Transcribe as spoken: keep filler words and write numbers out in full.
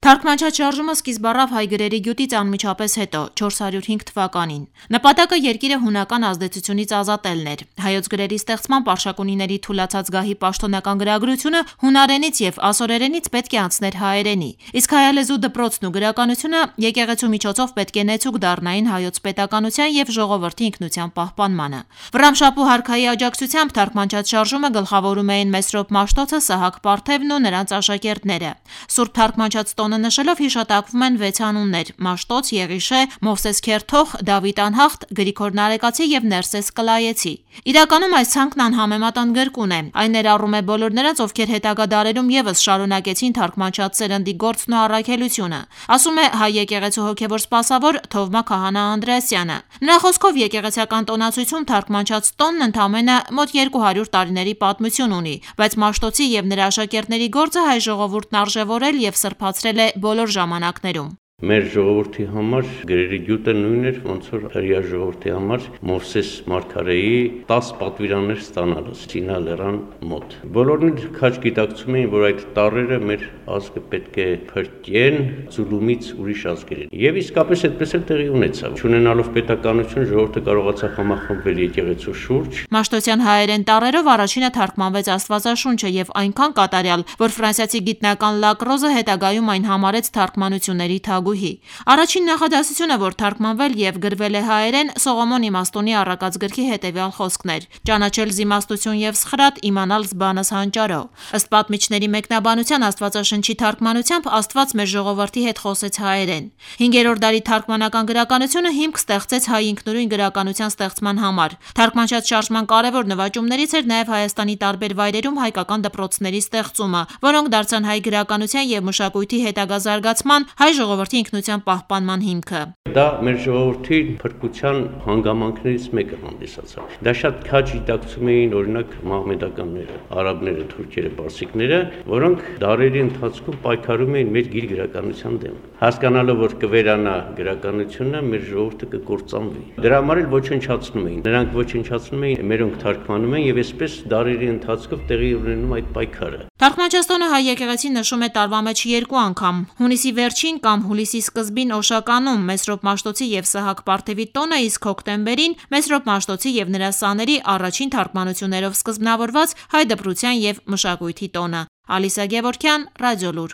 Թարգմանչած շարժումը սկիզբ առավ հայ գրերի գյուտից անմիջապես հետո՝ չորս հարյուր հինգ թվականին։ Նպատակը երկիրը հունական ազդեցությունից ազատելն էր։ Հայոց գրերի ստեղծմամբ պարշակունիների թուլացած գահի պաշտոնական գրագրությունը հունարենից և ասորերենից պետք է անցներ հայերենի, իսկ հայալեզու դպրոցն ու գրականությունը եկեղեցու միջոցով պետք է նեցուկ դառնային հայոց պետականության և ժողովրդի ինքնության պահպանմանը։ Վռամշապուհ արքայի աջակցությամբ թարգմանչած շարժումը գլխավորում էին Մեսրոպ Մաշտոցը, Սահակ Պարթևն ու նրանց աշակերտները։ Սուրբ թարգմանչած տոնը նշելով հիշատակվում են վեց անուններ՝ Մաշտոց, Եղիշե, Մովսես Քերթող, Դավիթ Անհախտ, Գրիգոր Նարեկացի և Ներսես Կլայեցի։ Իրականում այս ցանկն անհամեմատան գրկուն է։ Այն ներառում է բոլոր նրանց, ովքեր հետագա դարերում ևս շարունակեցին թարգմանչած սերնդի գործն ու առաքելությունը, ասում է հայ եկեղեցու հոգևոր սպասավոր Թովմա Քահանա Անդրեասյանը։ Նրա խոսքով եկեղեցական տոնացույցում թարգմանչած տոնն ընդամենը մոտ երկու հարյուր տարիների պատմություն ունի, բայց Մաշտոցի և նրա աշակերտների գործը հայ ժողովուրդն արժևորել և սրբացրել է բոլոր ժամանակներում։ Մեր ժողովրդի համար գրերի գյուտը նույնն էր, ոնց որ հրեա ժողովրդի համար Մովսես մարգարեի տասը պատվիրաններ ստանալը Սինա լեռան մոտ։ Բոլորն էլ քաջ գիտակցում էին, որ այդ տառերը մեր ազգը պետք է փրկեն ձուլումից ուրիշ ազգերին։ Եվ իսկապես այդպես էլ տեղի ունեցավ։ Չունենալով պետականություն, ժողովուրդը կարողացավ համախմբվել եկեղեցու շուրջ։ Մաշտոցյան հայերեն տառերով առաջինը թարգմանվեց Աստվածաշունչը և այնքան կատարյալ, որ ֆրանսիացի գիտնական Լակրոզը հետագայում այն համարեց թարգմանությունների թագուհի։ Առաջին նախադասությունը, որ թարգմանվել և գրվել է հայերեն, Սողոմոն Իմաստունի առակած գրքի հետևյալ խոսքն էր՝ «Ճանաչել զիմաստություն և սխրատ, իմանալ զբանս հանճարո»։ Ըստ պատմիչների մեկնաբանության, Աստվածաշնչի թարգմանությամբ Աստված մեր ժողովրդի հետ խոսեց հայերեն։ Հինգերորդ դարի թարգմանական գրականությունը հիմք ստեղծեց հայ ինքնուրույն գրականության ստեղծման համար։ Թարգմանչած շարժման կարևոր նվաճումներից էր նաև Հայաստանի տարբեր վայրերում հայկական դպրոցների ստեղծումը, որոնք դարձան հայ գրականության և մշակույթի հետագա զարգացման, հայ ժողովրդի ինքնության պահպանման հիմքը։ Դա մեր ժողովրդի փրկության հանգամանքներից մեկը հանդիսացավ։ Դա շատ քաջ գիտակցում էին օրինակ մահմեդականները, արաբները, թուրքերը, պարսիկները, որոնք դարերի ընթացքում պայքարում էին մեր գիր գրականության դեմ։ Հասկանալով, որ կվերանա գրականությունը, մեր ժողովուրդը կկործանվի։ Դրա համար էլ ոչնչացնում էին։ Նրանք ոչնչացնում էին, մերոնք թարգմանում են և այսպես դարերի ընթացքում տեղի ունենում այդ պայքարը։ Թարգմանչած տոնը հայ եկեղեցին նշում է տարվա մեջ երկու անգամ՝ հունիսի վերջին կամ հուլիսի սկզբին Օշականում Մեսրոպ Մաշտոցի և Սահակ Պարթևի տոնը, իսկ հոկտեմբերին Մեսրոպ Մաշտոցի և նրա սաների առաջին թարգմանություններով սկզբնավորված հայ դպրության և մշակույթի տոնը։ Ալիսա Գևորգյան, Ռադիոլուր։